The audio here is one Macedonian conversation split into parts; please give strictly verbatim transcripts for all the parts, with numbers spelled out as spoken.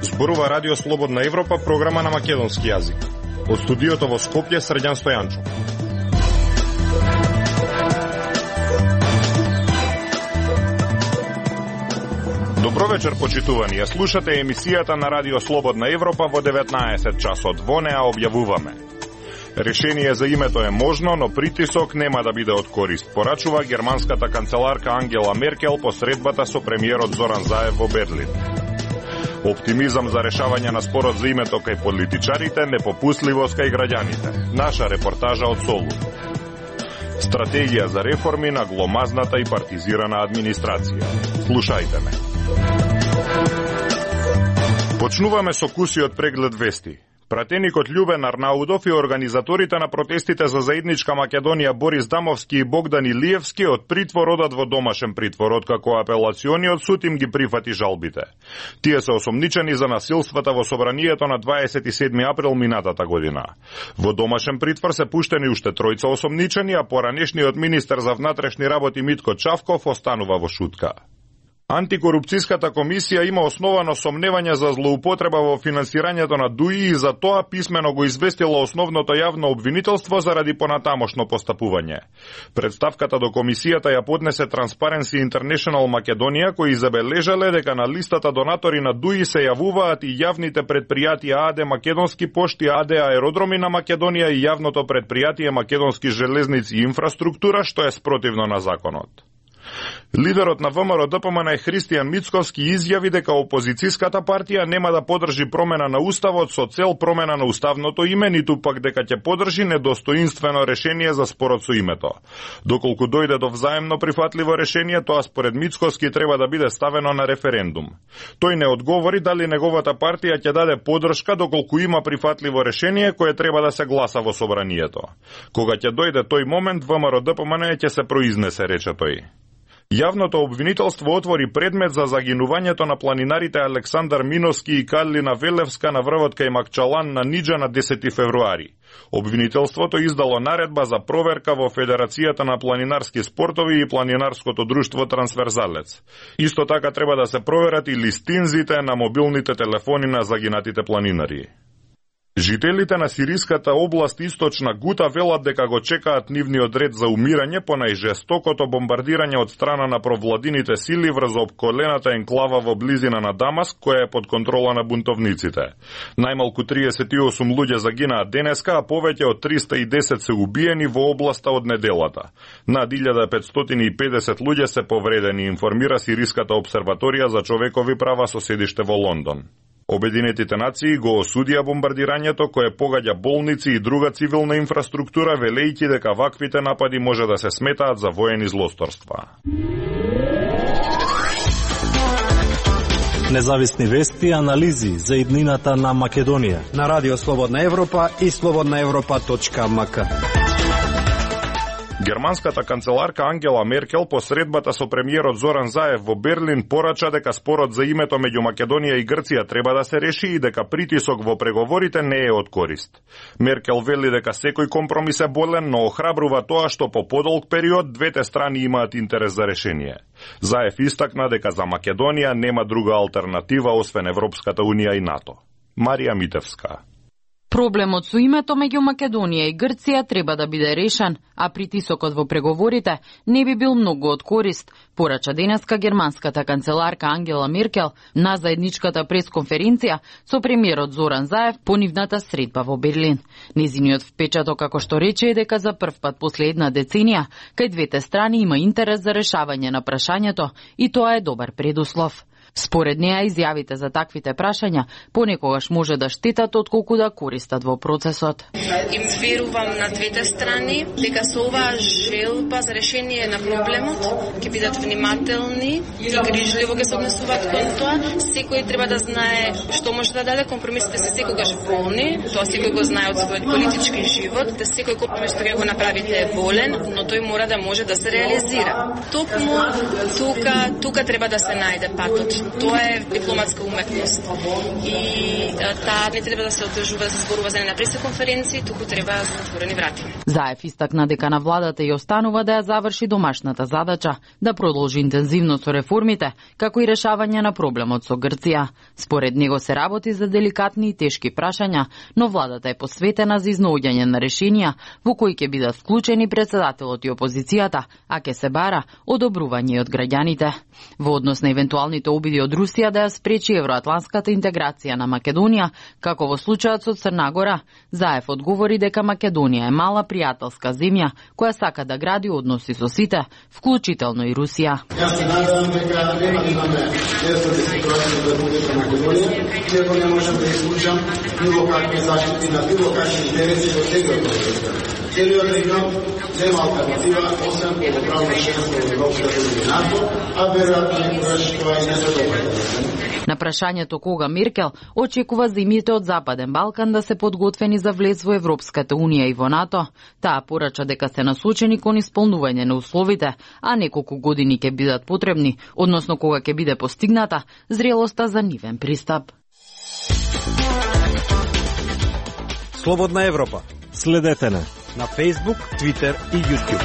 Зборува Радио Слободна Европа, програма на македонски јазик. Од студиото во Скопје, Срđan Стојанчов. Добро вечер, почитувани. Ја слушате емисијата на Радио Слободна Европа во деветнаесет часот. Во неа објавуваме: решение за името е можно, но притисок нема да биде од корист, порачува германската канцеларка Ангела Меркел по средбата со премиерот Зоран Заев во Берлин. Оптимизам за решавање на спорот за името кај политичарите, непопустливост кај граѓаните. Наша репортажа од Солун. Стратегија за реформи на гломазната и партизирана администрација. Слушајте ме. Почнуваме со кусиот преглед вести. Пратеникот Љубен Арнаудов и организаторите на протестите за заедничка Македонија Борис Дамовски и Богдан Илиевски од притвор одат во домашен притвор, откако апелациониот суд им ги прифати жалбите. Тие се осомничени за насилствата во собранието на дваесет и седми април минатата година. Во домашен притвор се пуштени уште тројца осомничени, а поранешниот министер за внатрешни работи Митко Чавков останува во шутка. Антикорупцијската комисија има основано сомневање за злоупотреба во финансирањето на ДУИ и за тоа писмено го известила основното јавно обвинителство заради понатамошно постапување. Представката до комисијата ја поднесе Transparency International Македонија, кои забележале дека на листата донатори на ДУИ се јавуваат и јавните предпријатија АД Македонски пошти, АД Аеродроми на Македонија и јавното предпријатие Македонски железници и инфраструктура, што е спротивно на законот. Лидерот на ВМРО Д П М Н Христијан Мицковски изјави дека опозицијската партија нема да подржи промена на уставот со цел промена на уставното име, ниту пак дека ќе подржи недостоинствено решение за спорот со името. Доколку дојде до взаемно прифатливо решение, тоа според Мицковски треба да биде ставено на референдум. Тој не одговори дали неговата партија ќе даде подршка доколку има прифатливо решение кое треба да се гласа во собранието. Кога ќе дојде тој момент, ВМРО Д П М Н ќе се произнесе, рече тој. Јавното обвинителство отвори предмет за загинувањето на планинарите Александар Миновски и Карлина Велевска на врвот кај Макчалан на Ниџа на десети февруари. Обвинителството издало наредба за проверка во Федерацијата на планинарски спортови и Планинарското друштво Трансверзалец. Исто така треба да се проверат и листинзите на мобилните телефони на загинатите планинари. Жителите на сириската област Источна Гута велат дека го чекаат нивниот ред за умирање по најжестокото бомбардирање од страна на провладините сили врз опколената енклава во близина на Дамаск, која е под контрола на бунтовниците. Најмалку триесет и осум луѓе загинаа денеска, а повеќе од триста и десет се убиени во областа од неделата. Над илјада петстотини и педесет луѓе се повредени, информира Сириската обсерваторија за човекови права со седиште во Лондон. Обединетите нации го осудија бомбардирањето кое погаѓа болници и друга цивилна инфраструктура, велејќи дека ваквите напади може да се сметаат за воени злосторства. Независни вести и анализи за иднината на Македонија на Радио Слободна Европа и слободна европа точка ем ка. Германската канцеларка Ангела Меркел по средбата со премиерот Зоран Заев во Берлин порача дека спорот за името меѓу Македонија и Грција треба да се реши и дека притисок во преговорите не е од корист. Меркел вели дека секој компромис е болен, но охрабрува тоа што по подолг период двете страни имаат интерес за решение. Заев истакна дека за Македонија нема друга алтернатива освен Европската унија и НАТО. Марија Митевска. Проблемот со името меѓу Македонија и Грција треба да биде решен, а притисокот во преговорите не би бил многу од корист, порача денеска германската канцеларка Ангела Меркел на заедничката пресконференција со премиерот Зоран Заев по нивната средба во Берлин. Незиниот впечаток, како што рече, е дека за прв пат после една деценија кај двете страни има интерес за решавање на прашањето и тоа е добар предуслов. Според неа, изјавите за таквите прашања понекогаш може да штетат отколку да користат во процесот. Им верувам на двете страни дека со оваа желба за решение на проблемот ќе бидат внимателни и грижливо ќе се однесуваат кон тоа. Секој треба да знае што може да даде. Компромисите се секогаш болни, тоа секој го знае од својот политички живот, да секој компромис што ќе го направите е болен, но тој мора да може да се реализира. Токму тука, тука треба да се најде патот. Тоа е дипломатска уметност. И таа не треба да се одржува, да се зборува за на пресоконференции, туку треба за отворени врати. Заев истакна дека на владата ја останува да ја заврши домашната задача, да продолжи интензивно со реформите, како и решавање на проблемот со Грција. Според него се работи за деликатни и тешки прашања, но владата е посветена за изнаоѓање на решенија во кои ќе бидат вклучени председателот и опозицијата, а ќе се бара одобрување од граѓаните. Во однос на евентуалните обиди од Русија да ја спречи евроатланската интеграција на Македонија, како во случајот со Црна Гора, Заев одговори дека Македонија е мала пријателска земја која сака да гради односи со сите, вклучително и Русија. Јас се надевам дека нема да имаме несреќни ситуации во Република Македонија, иако не можам да исклучам било какви заштити на било какви интереси во целиот регион. Целиот регион нема алтернатива освен полноправно членство во Европската унија и НАТО, а веројатно некогаш тоа и не се догаѓа. На прашањето кога Меркел очекува земјите од Западен Балкан да се подготвени за влез во Европската унија и во НАТО, таа порача дека се насочени кон исполнување на условите, а неколку години ќе бидат потребни, односно кога ќе биде постигната зрелоста за нивен пристап. Слободна Европа. Следете не на Facebook, Twitter и YouTube.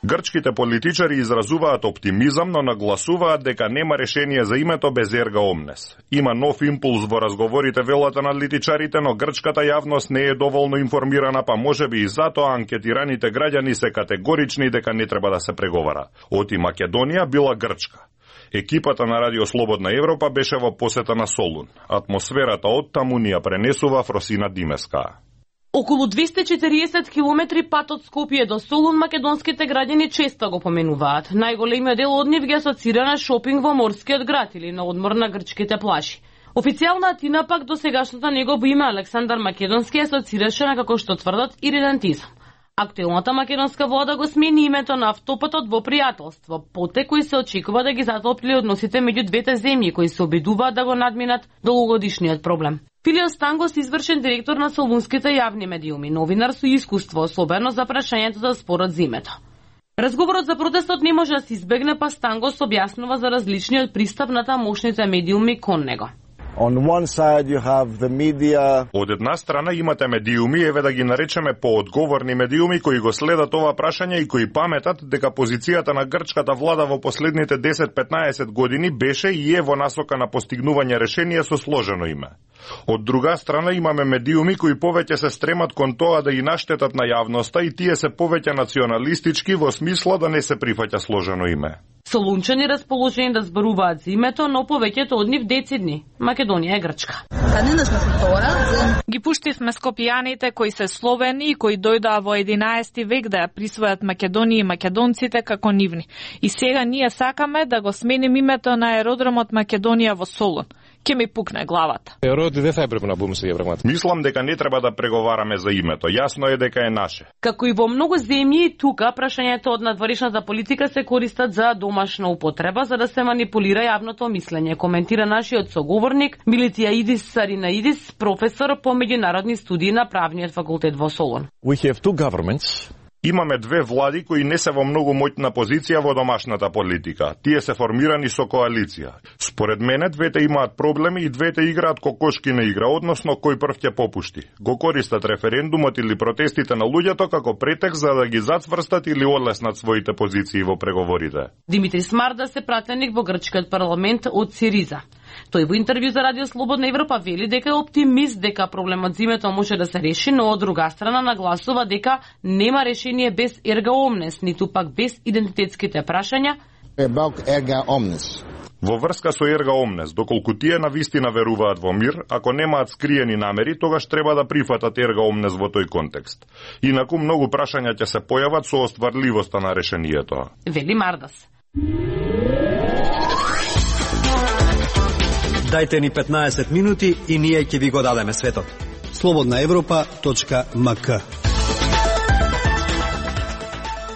Грчките политичари изразуваат оптимизам, но нагласуваат дека нема решение за името без ерга омнес. Има нов импулс во разговорите, велат аналитичарите, но грчката јавност не е доволно информирана, па можеби и затоа анкетираните граѓани се категорични дека не треба да се преговара. Оти Македонија била Грчка. Екипата на Радио Слободна Европа беше во посета на Солун. Атмосферата од таму ни ја пренесува Фросина Димеска. Околу двесте и четириесет километри пат од Скопје до Солун македонските граѓани често го поменуваат. Најголемиот дел од нив ги асоцира на шопинг во морскиот град или на одмор на грчките плажи. Официјална Атина пак до сегашното негово име Александар Македонски асоцираше на, како што тврдат, иридентизам. Актуелната македонска влада го смени името на автопатот во пријателство, потек кој се очекува да ги затопли односите меѓу двете земји кои се обидуваат да го надминат долгогодишниот проблем. Филио Стангос, извршен директор на солунските јавни медиуми, новинар со искуство, особено за прашањето за спорот за името. Разговорот за протестот не може да се избегне, па Стангос објаснува за различниот пристап на тамошните медиуми кон него. On one side you have the media. Од една страна имате медиуми, еве да ги наречеме поодговорни медиуми, кои го следат ова прашање и кои паметат дека позицијата на грчката влада во последните десет-петнаесет години беше и е во насока на постигнување решение со сложено име. Од друга страна имаме медиуми кои повеќе се стремат кон тоа да и наштетат на јавноста и тие се повеќе националистички во смисла да не се прифаќа сложено име. Солунчани расположени да зборуваат за името, но повеќето од нив децидни. Македонија е Грчка. Ги пуштивме скопјаните кои се словени и кои дојдоа во единаесети век да ја присвојат Македонија и македонците како нивни. И сега ние сакаме да го сменим името на аеродромот Македонија во Солун. Ке ми пукне главата. Мислам дека не треба да преговараме за името. Јасно е дека е наше. Како и во многу земји, тука прашањето од надворешната политика се користат за домашна употреба за да се манипулира јавното мислење, коментира нашиот соговорник Милитиаидис Саринаидис, професор по меѓународни студии на правниот факултет во Солун. We have two governments. Имаме две влади кои не се во многу моќна позиција во домашната политика. Тие се формирани со коалиција. Според мене, двете имаат проблеми и двете играат кокошки на игра, односно кој прв ќе попушти. Го користат референдумот или протестите на луѓето како претекст за да ги зацврстат или одлеснат своите позиции во преговорите. Димитри Смарда се пратеник во грчкиот парламент од Сириза. Тој во интервју за Радио Слободна Европа вели дека е оптимист дека проблемот за името може да се реши, но од друга страна нагласува дека нема решение без ерга омнес, ниту пак без идентитетските прашања. Ерга омнес. Во врска со ерга омнес, доколку тие на вистина веруваат во мир, ако немаат скриени намери, тогаш треба да прифатат ерга омнес во тој контекст. Инаку многу прашања ќе се појават со остварливоста на решението. Вели Мардас. Дајте ни петнаесет минути и ние ќе ви го дадеме светот. слободна европа точка м к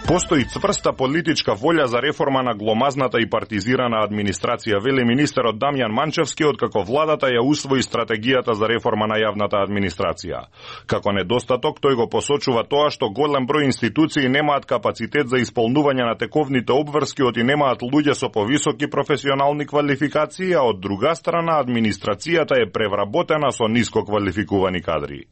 Постои цврста политичка волја за реформа на гломазната и партизирана администрација, вели министерот Дамјан Манчевски, откако владата ја усвои стратегијата за реформа на јавната администрација. Како недостаток, тој го посочува тоа што голем број институции немаат капацитет за исполнување на тековните обврски, оти немаат луѓе со повисоки професионални квалификации, а од друга страна администрацијата е превработена со ниско квалификувани кадри.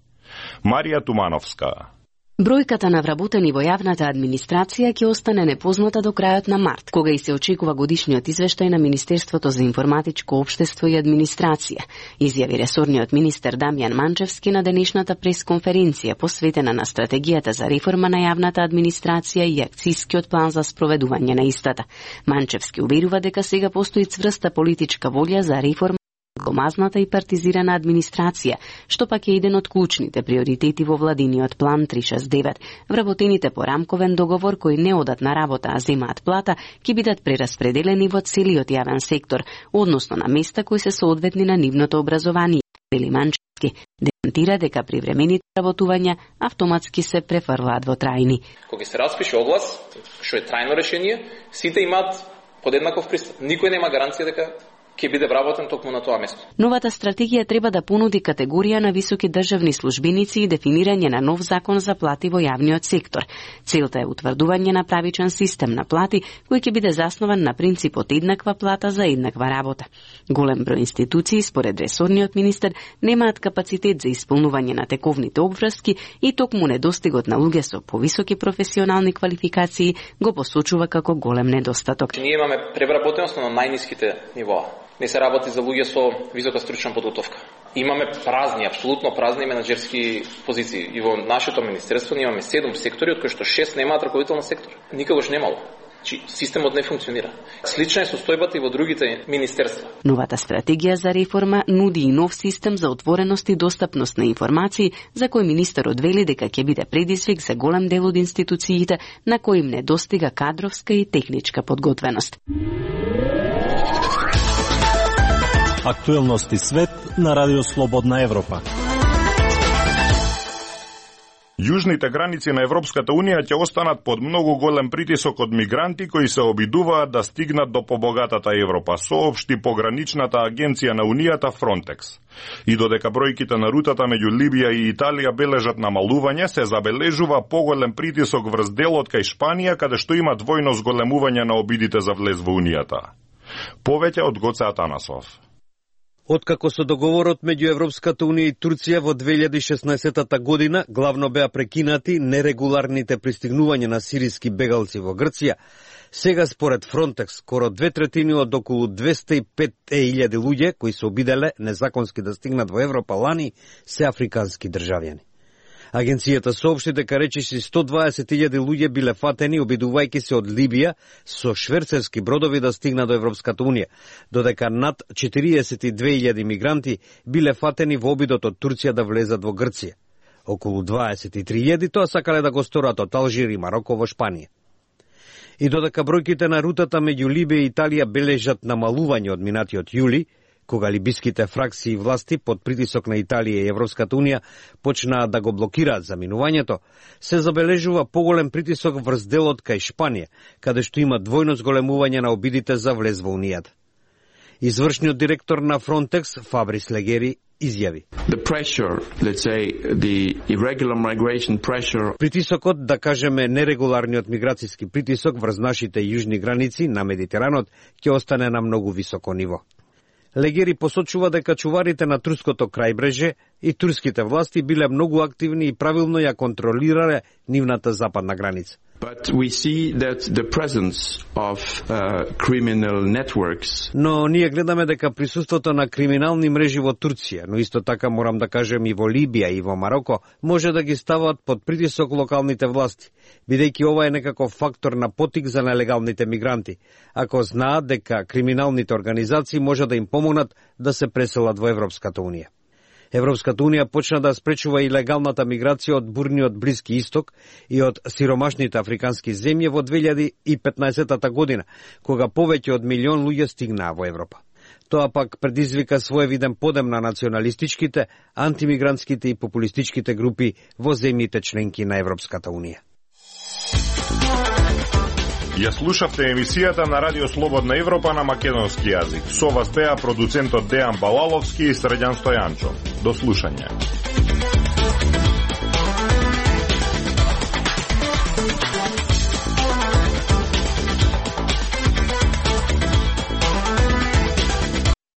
Марија Тумановска. Бројката на вработени во јавната администрација ќе остане непозната до крајот на март, кога и се очекува годишниот извештај на Министерството за информатичко општество и администрација, изјави ресорниот министер Дамјан Манчевски на денешната пресконференција посветена на стратегијата за реформа на јавната администрација и акцискиот план за спроведување на истата. Манчевски уверува дека сега постои цврста политичка волја за реформа гломазната и партизирана администрација, што пак е еден од клучните приоритети во владиниот план триста шесдесет и девет. Вработените по рамковен договор кои не одат на работа, а земаат плата, ќе бидат прераспределени во целиот јавен сектор, односно на места кои се соодветни на нивното образование. Вели Манчевски демонтира дека привремените работувања автоматски се префрлаат во трајни. Кога се распише оглас, што е трајно решение, сите имаат подеднаков пристап. Никој нема гаранција дека ќе биде вработен токму на тоа место. Новата стратегија треба да понуди категорија на високи државни службеници и дефинирање на нов закон за плати во јавниот сектор. Целта е утврдување на правичен систем на плати кој ќе биде заснован на принципот еднаква плата за еднаква работа. Голем број институции, според ресорниот министер, немаат капацитет за исполнување на тековните обврски и токму недостигот на луѓе со повисоки професионални квалификации го посочува како голем недостаток. Ние имаме превработеност на најниските нивоа. Не се работи за луѓе со висока стручна подготовка. Имаме празни, апсолутно празни менаџерски позиции. И во нашето министерство имаме седум сектори, од кои што шест немаат раководител на сектор. Никогаш немало. Чи системот не функционира. Слична е состојбата и во другите министерства. Новата стратегија за реформа нуди и нов систем за отвореност и достапност на информации, за кој министерот вели дека ќе биде предизвик за голем дел од институциите на кои им недостига кадровска и техничка подготвеност. Актуелности свет на Радио Слободна Европа. Јужните граници на Европската Унија ќе останат под многу голем притисок од мигранти кои се обидуваат да стигнат до побогатата Европа, соопшти пограничната агенција на Унијата Frontex. И додека бројките на рутата меѓу Либија и Италија бележат намалување, се забележува поголем притисок врз делот кај Шпанија, каде што има двојно зголемување на обидите за влез во Унијата. Повеќе од Гоце Атанасов. Откако со договорот меѓу Европската Унија и Турција во две илјади и шеснаесетта година главно беа прекинати нерегуларните пристигнувања на сириски бегалци во Грција, сега според Frontex скоро две третини од околу двесте и пет илјади луѓе кои се обиделе незаконски да стигнат во Европа лани се африкански државјани. Агенцијата соопшти дека речиси сто дваесет илјади луѓе биле фатени обидувајќи се од Либија со шверцерски бродови да стигнат до Европската Унија, додека над четириесет и две илјади мигранти биле фатени во обидот од Турција да влезат во Грција. Околу дваесет и три илјади тоа сакале да го сторат од Алжир и Мароко во Шпанија. И додека бројките на рутата меѓу Либија и Италија бележат намалување од минатиот јули, кога либиските фракции и власти под притисок на Италија и Европската Унија почнаа да го блокираат заминувањето, се забележува поголем притисок врз делот кај Шпанија, каде што има двојно зголемување на обидите за влез во Унијата. Извршниот директор на Frontex, Фабрис Легери, изјави: The pressure, let's say, the irregular migration pressure. Притисокот, да кажеме нерегуларниот миграцијски притисок врз нашите јужни граници на Медитеранот ќе остане на многу високо ниво. Легери посочува дека чуварите на турското крајбреже и турските власти биле многу активни и правилно ја контролирале нивната западна граница. But we see that the presence of uh, criminal networks. Но ние гледаме дека присуството на криминални мрежи во Турција, но исто така морам да кажем и во Либија и во Мароко, може да ги стават под притисок локалните власти, бидејќи ова е некаков фактор на потик за нелегалните мигранти, ако знаат дека криминалните организации може да им помогнат да се преселат во Европската Унија. Европската Унија почна да спречува и легалната миграција од бурниот Блиски Исток и од сиромашните африкански земји во две илјади и петнаесетта година, кога повеќе од милион луѓе стигнаа во Европа. Тоа пак предизвика своевиден подем на националистичките, антимигрантските и популистичките групи во земјите членки на Европската Унија. Ја слушавте емисијата на Радио Слободна Европа на македонски јазик. Со вас беа продуцентот Дејан Балаловски и Средјан Стојанчо. До слушање.